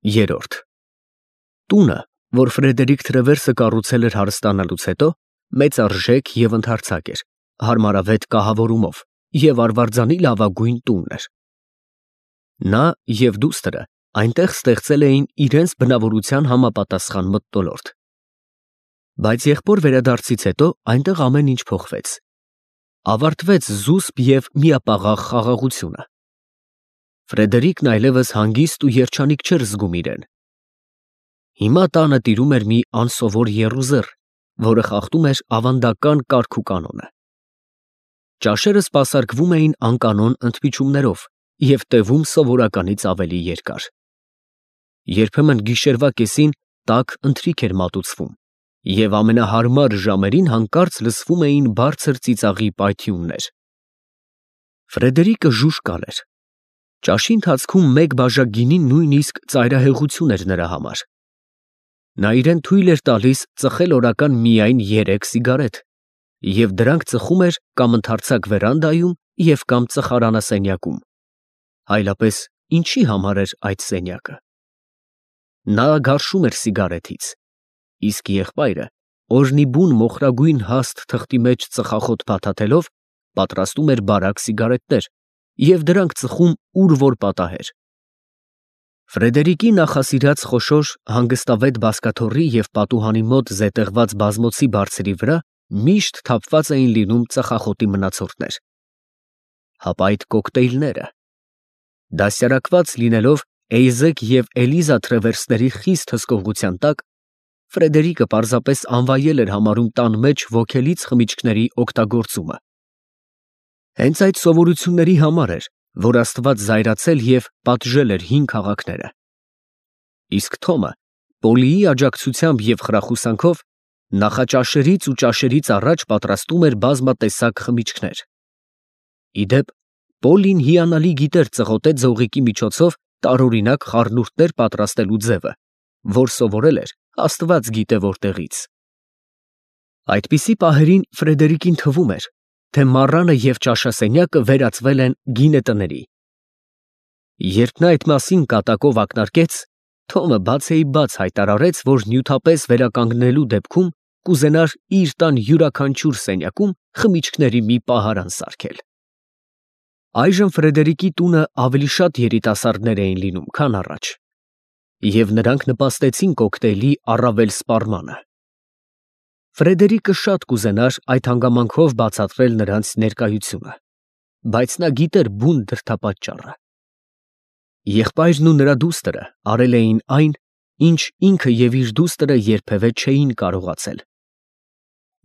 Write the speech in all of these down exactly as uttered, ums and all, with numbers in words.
Երրորդ Տունը, որ Ֆրեդերիկ Թրևերսը կառուցել էր հարստանալուց հետո, մեծարժեք և ընդարձակ էր, հարմարավետ կահավորումով և արվարձանի լավագույն տունն էր։ Նա և դուստրը այնտեղ ստեղծել էին իրենց բնավորության համապատասխան մթնոլորտ։ Բայց եղբոր վերադարձից հետո այնտեղ ամեն ինչ փոխվեց։ Ավարտվեց զուսպ և միապաղաղ խաղաղությունը։ Ֆրեդերիկն այլևս հանգիստ ու երջանիկ չէր զգում իրեն։ Հիմա տանը տիրում էր մի անսովոր եռուզեռ, որը խախտում էր ավանդական կարգ ու կանոնը։ Ճաշերը սպասարկվում էին անկանոն ընդմիջումներով և տևում սովորականից ավելի երկար։ Երբեմն գիշերվա կեսին տաք ընթրիք էր մատուցվում, և ամենահարմար ժամերին հանկարծ լսվում էին բարձր ծիծաղի պայթյուններ։ Ֆրեդերիկը ժուժկալ էր։ Ճաշի ընթացքում մեկ բաժակ գինին նույնիսկ ծայրահեղություն էր նրա համար։ Նա իրեն թույլ էր տալիս ծխել օրական միայն երեք սիգարետ, և դրանք ծխում էր կամ ընդարձակ վերանդայում և կամ ծխարանասենյակում, այլապես ինչի համար էր այդ սենյակը։ Նա գարշում էր սիգարետից, իսկ եղբայրը օրհնիբուն մոխրագույն հաստ թղթի մեջ ծխախոտ փաթաթելով պատրաստում էր բարակ սիգարետներ և դրանք ծխում ուր որ պատահեր։ Ֆրեդերիկի նախասիրած խոշոր հանգստավետ բազկաթոռի և պատուհանի մոտ զետեղված բազմոցի բարձերի վրա միշտ թափված էին լինում ծխախոտի մնացորդներ։ Հապա այդ կոկտեյլները… Դաստիարակված լինելով Էյզեկ և Էլիզա Թրևերսների խիստ հսկողության տակ, Ֆրեդերիկը պարզապես անվայել էր համարում տան մեջ ոգելից խմիչքների օգտագործումը։ Հենց այդ սովորությունների համար էր, որ Աստված զայրացել և պատժել էր հին քաղաքները։ Իսկ Թոմը Պոլիի աջակցությամբ և խրախուսանքով նախաճաշերից ու ճաշերից առաջ պատրաստում էր բազմատեսակ խմիչքներ։ Ի դեպ, Պոլլին հիանալի գիտեր ծղոտե ձողիկի միջոցով տարօրինակ խառնուրդներ պատրաստելու ձևը, որ սովորել էր աստված գիտե որտեղից։ Այդպիսի պահերին Ֆրեդերիկին թվում էր, թե մառանը և ճաշասենյակը վերածվել են գինետների։ Երբ նա այդ մասին կատակով ակնարկեց, Թոմը բացեիբաց հայտարարեց, որ նյութապես վերականգնելու դեպքում կուզենար իր տան յուրաքանչյուր սենյակում խմիչքների մի պահարան սարքել։ Այժմ Ֆրեդերիկի տունը ավելի շատ երիտասարդներ էին լինում, քան առաջ, և նրանք նպաստեցին կոկտեյլի առավել սպառմանը։ Ֆրեդերիկը շատ կուզենար այդ հանգամանքով բացատրել նրանց ներկայությունը, բայց նա գիտեր բուն դրդապատճառը։ Եղբայրն ու նրա դուստրը արել էին այն, ինչ ինքը և իր դուստրը երբևէ չէին կարողացել։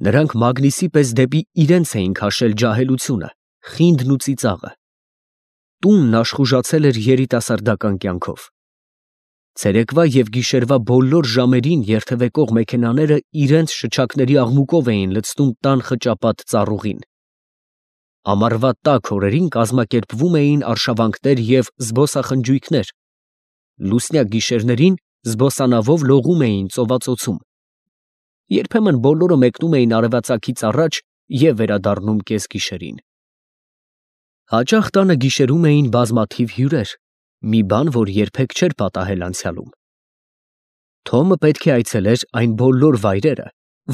Նրանք մագնիսի պես դեպի իրենց էին քաշել ջահելությունը, խինդն ու ծիծաղը։ Տունն աշխուժացել էր երիտասարդական կյանքով։ Ցերեկվա և գիշերվա բոլոր ժամերին երթևեկող մեքենաները իրենց շչակների աղմուկով էին լցնում տան խճապատ ծառուղին։ Ամառվա տաք օրերին կազմակերպվում էին արշավանքներ և զբոսախնջույքներ, լուսնյակ գիշերներին զբոսանավով լողում էին ծովածոցում։ Երբեմն բոլորը մեկնում էին արևածագից առաջ և վերադառնում կեսգիշերին։ Հաճախ տանը գիշերում էին բազմաթիվ հյուրեր, մի բան, որ երբեք չէր պատահել անցյալում։ Թոմը պետք է այցելեր այն բոլոր վայրերը,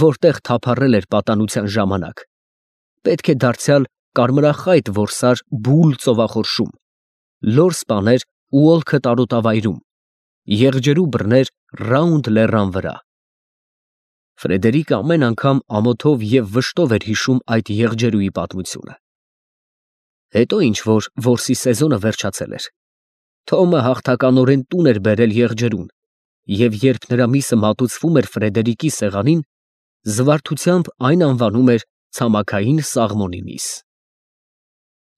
որտեղ թափառել էր պատանության ժամանակ, պետք է դարձյալ կարմրախայտ որսար բուլ ծովախորշում, լոր սպաներ Ուոլքը տարոտավայրում, եղջերու բռներ Ռաունդ լեռան վրա։ Ֆրեդերիկը ամեն անգամ ամոթով և վշտով էր հիշում այդ եղջերուի պատմությունը։ Հետո ինչ֊որ որսի սեզոնը վերջացել էր, Թոմը հաղթականորեն տուն էր բերել եղջերուն, և երբ նրա միսը մատուցվում էր Ֆրեդերիկի սեղանին, զվարթությամբ այն անվանում էր ցամաքային սաղմոնի միս։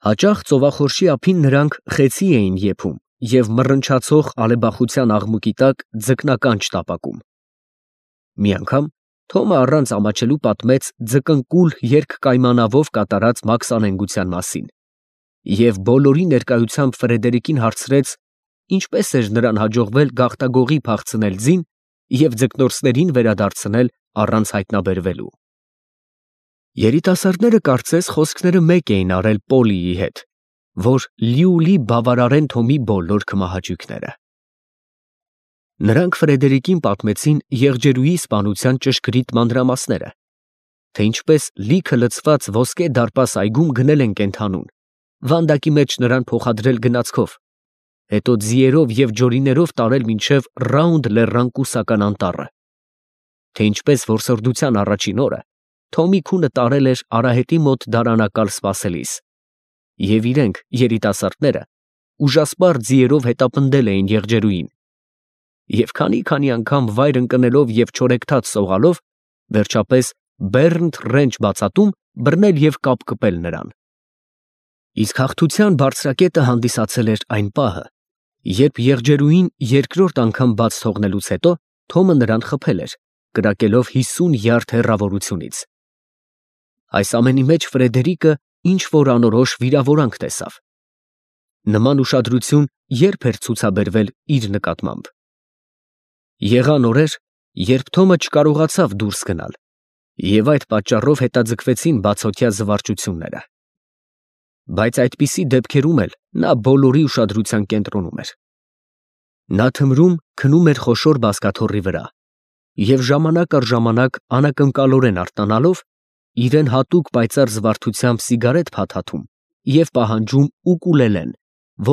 Հաճախ ծովախորշի ափին նրանք խեցի էին եփում և մռնչացող ալեբախության աղմուկի տակ ձկնականջ տապակում։ Մի անգամ Թոմը առանց ամաչելու պատմեց ձկնկուլ երկկայմանավով կատարած մաքսանենգության մասին և բոլորի ներկայությամբ Ֆրեդերիկին հարցրեց, ինչպես էր նրան հաջողվել գաղտագողի փախցնել ձին և ձկնորսներին վերադարձնել առանց հայտնաբերվելու։ Երիտասարդները կարծես խոսքները մեկ էին արել Պոլիի հետ, որ լիուլի բավարարեն Թոմի բոլոր քմահաճույքները։ Նրանք Ֆրեդերիկին պատմեցին եղջերուի սպանության ճշգրիտ մանրամասները, թե ինչպես լիքը լցված ոսկե դարպաս այգում գնել են կենդանուն, վանդակի մեջ նրան փոխադրել գնացքով, հետո ձիերով և ջորիներով տարել մինչև Ռաունդ լեռան կուսական անտառը, թե ինչպես որսորդության առաջին օրը Թոմի քունը տարել էր արահետի մոտ դարանակալ սպասելիս, և իրենք, երիտասարդները, ուժասպառ ձիերով հետապնդել էին եղջերուին, և քանի֊քանի անգամ վայր ընկնելով և չորեքթաթ սողալով, վերջապես բեռնդ ռենչ բացատում բռնել և կապկպել նրան։ Իսկ հաղթության բարձրակետը հանդիսացել էր այն պահը, երբ եղջերուին երկրորդ անգամ բաց թողնելուց հետո Թոմը նրան խփել էր, կրակելով հիսուն յարդ հեռավորությունից։ Այս ամենի մեջ Ֆրեդերիկը ինչ-որ անորոշ վիրավորանք տեսավ։ Նման ուշադրություն ե՞րբ էր ցուցաբերվել իր նկատմամբ։ Եղան օրեր, երբ Թոմը չկարողացավ դուրս գնալ, և այդ պատճառով հետաձգվեցին բացօթյա զվարճությունները։ Բայց այդպիսի դեպքերում էլ նա բոլորի ուշադրության կենտրոնում էր։ Նա թմրում քնում էր խոշոր բազկաթոռի վրա և ժամանակ առ ժամանակ անակնկալորեն արթնանալով իրեն հատուկ պայծառ զվարթությամբ սիգարետ փաթաթում և պահանջում ուկուլելեն,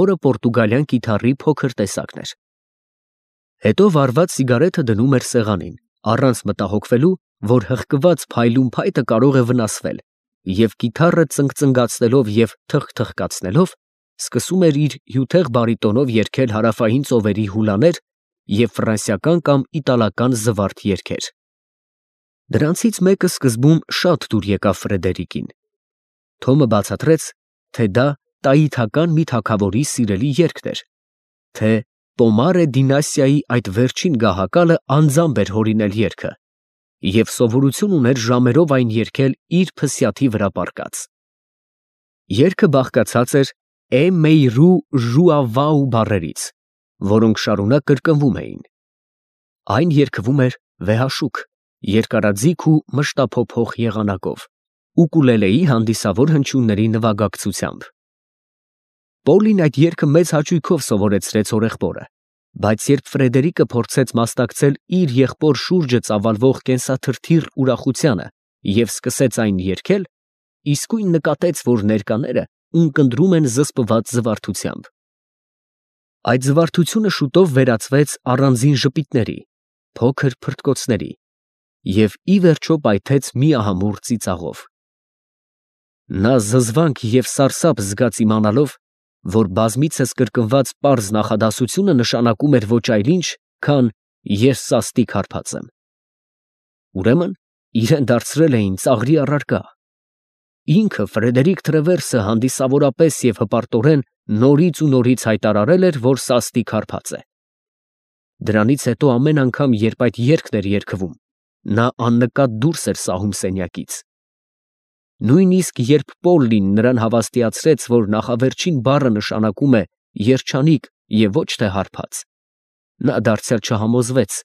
որը պորտուգալյան կիթառի փոքր տեսակն էր։ Հետո վառված սիգարետը դնում էր սեղանին, առանց մտահոգվելու, որ հղկված փայլուն փայտը կարող է վնասվել, և կիթառը ծնկծնգացնելով և թխկթխկացնելով սկսում էր իր հյութեղ բարիտոնով երգել հարավային ծովերի հուլաներ և ֆրանսիական կամ իտալական զվարթ երգեր։ Դրանցից մեկը սկզբում շատ դուր եկավ Ֆրեդերիկին։ Թոմը բացատրեց, թե դա տայիթական մի թագավորի սիրելի երգն էր, թե Պոմարե դինաստիայի այդ վերջին գահակալը անձամբ էր հորինել երգը և սովորություն ուներ ժամերով այն երգել իր փսյաթի վրա պառկած։ Երգը բաղկացած էր «Է մեյրու ժուավաու» բառերից, որոնք շարունակ կրկնվում էին։ Այն երգվում էր վեհաշուք, երկարաձիգ ու մշտափոփոխ եղանակով, ուկուլելեի հանդիսավոր հնչյունների նվագակցությամբ։ Պոլին այդ երգը մեծ հաճույքով սովորեցրեց հորեղբորը, բայց երբ Ֆրեդերիկը փորձեց մասնակցել իր եղբոր շուրջը ծավալվող կենսաթրթիռ ուրախությանը և սկսեց այն երգել, իսկույն նկատեց, որ ներկաները ունկնդրում են զսպված զվարթությամբ։ Այդ զվարթությունը շուտով վերածվեց առանձին ժպիտների, փոքր փրթկոցների և ի վերջո պայթեց միահամուռ ծիծաղով։ Նա զզվանք և սարսափ զգաց իմանալով, որ բազմիցս կրկնված պարզ նախադասությունը նշանակում էր ոչ այլ ինչ, քան «ես սաստիկ հարբած եմ»։ Ուրեմն իրեն դարձրել էին ծաղրի առարկա։ Ինքը Ֆրեդերիկ Թրևերսը հանդիսավորապես և հպարտորեն նորից ու նորից հայտարարել էր, որ սաստիկ հարբած է։ Դրանից հետո ամեն անգամ, երբ այդ երգն էր երգվում, նա աննկատ դուրս էր սահում սենյակից։ Նույնիսկ երբ Պոլլին նրան հավաստիացրեց, որ նախավերջին բառը նշանակում է երջանիկ և ոչ թե հարբած, նա դարձյալ չհամոզվեց,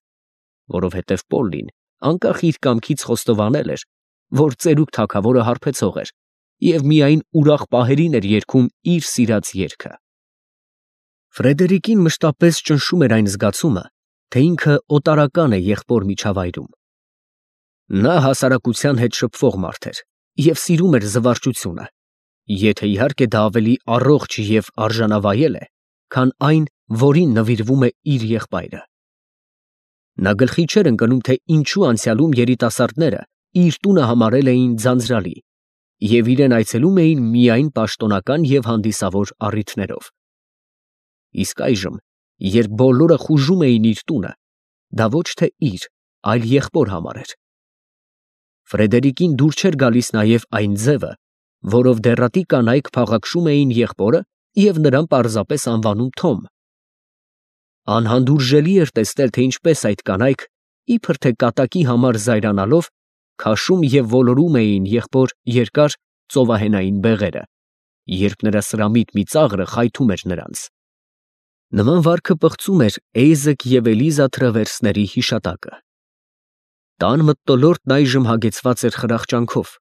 որովհետև Պոլլին անկախ իր կամքից խոստովանել էր, որ ծերուկ թագավորը հարբեցող էր և միայն ուրախ պահերին էր երգում իր սիրած երգը։ Ֆրեդերիկին մշտապես ճնշում էր այն զգացումը, թե ինքը օտարական է եղբոր միջավայրում։ Նա հասարակության հետ շփվող մարդ էր և սիրում էր զվարճությունը, եթե իհարկե դա ավելի առողջ և արժանավայել է, քան այն, որին նվիրվում է իր եղբայրը։ Նա գլխի չէր ընկնում, թե ինչու անցյալում երիտասարդները իր տունը համարել էին ձանձրալի և իրեն այցելում էին միայն պաշտոնական և հանդիսավոր առիթներով։ Իսկ այժմ, երբ բոլորը խուժում էին իր տունը, դա ոչ թե իր, այլ եղբոր համար էր։ Ֆրեդերիկին դուր չէր գալիս նաև այն ձևը, որով դեռատի կանայք փաղաքշում էին եղբորը և նրան պարզապես անվանում Թոմ։ Անհանդուրժելի էր տեսնել, թե ինչպես այդ կանայք, իբր թե կատակի համար զայրանալով, քաշում և ոլորում էին եղբոր երկար ծովահենային բեղերը, երբ նրա սրամիտ մի ծաղրը խայթում էր նրանց։ Նման վարքը պղծում էր Էյզեկ և Էլիզա Թրևերսների հիշատակը։ Տան մթնոլորտն այժմ հագեցված էր խրախճանքով։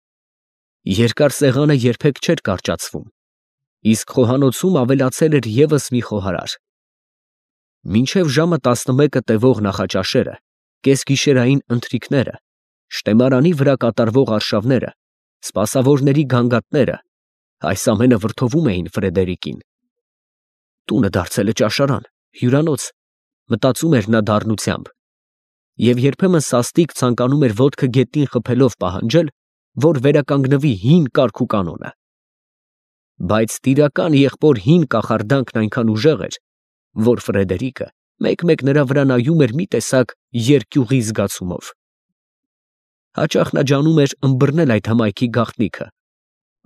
Երկար սեղանը երբեք չէր կարճացվում, իսկ խոհանոցում ավելացել էր ևս մի խոհարար։ Մինչև ժամը տասնմեկը տևող նախաճաշերը, կեսգիշերային ընթրիքները, շտեմարանի վրա կատարվող արշավները, սպասավորների գանգատները, այս ամենը վրդովում էին Ֆրեդերիկին։ Տունը դարձել է ճաշարան, հյուրանոց, մտածում էր նա դառնությամբ, և երբեմն սաստիկ ցանկանում էր ոտքը գետնին խփելով պահանջել, որ վերականգնվի հին կարգ ու կանոնը։ Բայց տիրական եղբոր հին կախարդանքն այնքան ուժեղ էր, որ Ֆրեդերիկը մեկ֊մեկ նրա վրա նայում էր մի տեսակ երկյուղի զգացումով։ Հաճախ նա ջանում էր ըմբռնել այդ հմայքի գաղտնիքը,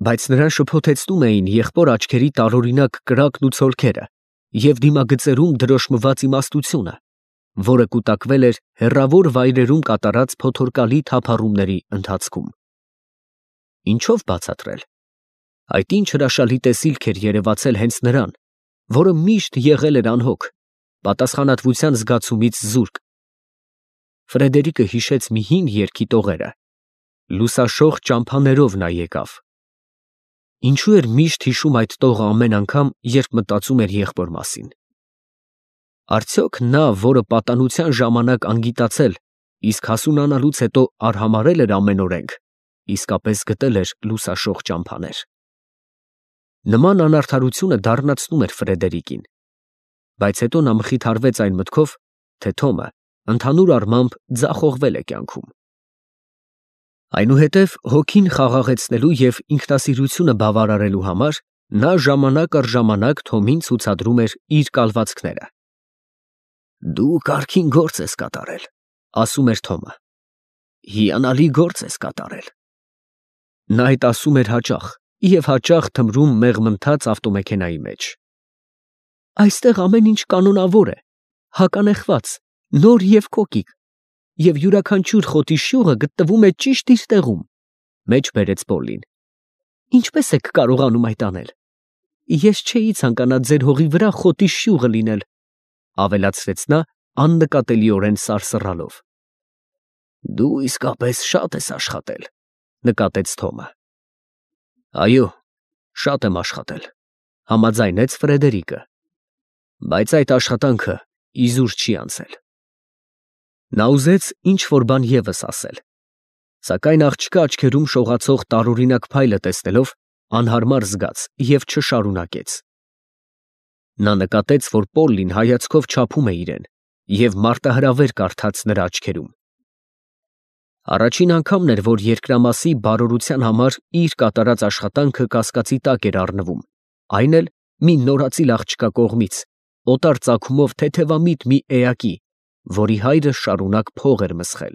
բայց նրան շփոթեցնում էին եղբոր աչքերի տարօրինակ կրակն ու ցոլքերը և դիմագծերում դրոշմված իմաստությունը, որը կուտակվել էր հեռավոր վայրերում կատարած փոթորկալի թափառումների ընթացքում։ Ինչո՞վ բացատրել։ Այդ ինչ հրաշալի տեսիլք էր երևացել հենց նրան, որը միշտ եղել էր անհոգ, պատասխանատվության զգացումից զուրկ։ Ֆրեդերիկը հիշեց մի հին երգի տողերը. լուսաշող ճամփաներով նա եկավ։ Ինչու էր միշտ հիշում այդ տողը ամեն անգամ, երբ մտածում էր եղբոր մասին։ Արդյոք նա, որը պատանության ժամանակ անգիտացել, իսկ հասունանալուց հետո արհամարհել էր ամեն օրենք, իսկապես գտել էր լուսաշող ճամփաներ։ Նման անարդարությունը դառնացնում էր Ֆրեդերիկին, բայց հետո նա մխիթարվեց այն մտքով, թե Թոմը ընդհանուր առմամբ ձախողվել է կյանքում։ Այնուհետև հոգին խաղաղեցնելու և ինքնասիրությունը բավարարելու համար նա ժամանակ առ ժամանակ Թոմին ցուցադրում էր իր կալվածքները։ «Դու կարգին գործ ես կատարել», ասում էր Թոմը։ «Հիանալի գործ ես կատարել»։ Նա այդ ասում էր հաճախ և հաճախ թմրում մեղմնթաց ավտոմեքենայի մեջ։ «Այստեղ ամեն ինչ կանոնավոր է, հականեղված, նոր և կոկիկ, և յուրաքանչյուր խոտի շյուղը գտնվում է ճիշտ իր տեղում», մեջ բերեց Պոլլին։ «Ինչպե՞ս եք կարողանում այդ անել։ Ես չէի ցանկանա ձեր հողի վրա խոտի շյուղը լինել», ավելացրեց նա աննկատելիորեն սարսռալով։ «Դու իսկապես շատ ես աշխատել», նկատեց Թոմը։ «Այո, շատ եմ աշխատել», համաձայնեց Ֆրեդերիկը, «բայց այդ աշխատանքը իզուր չի անցել»։ Նա ուզեց ինչ֊որ բան ևս ասել, սակայն աղջկա աչքերում շողացող տարօրինակ փայլը տեսնելով, անհարմար զգաց և չշարունակեց։ Նա նկատեց, որ Պոլլին հայացքով չափում է իրեն և մարտահրավեր կարդաց նրա աչքերում։ Առաջին անգամն էր, որ երկրամասի բարօրության համար իր կատարած աշխատանքը կասկածի տակ էր առնվում, այն էլ մի նորածիլ աղջկա կողմից, օտար ծագումով թեթևամիտ մի էակի, որի հայրը շարունակ փող էր մսխել։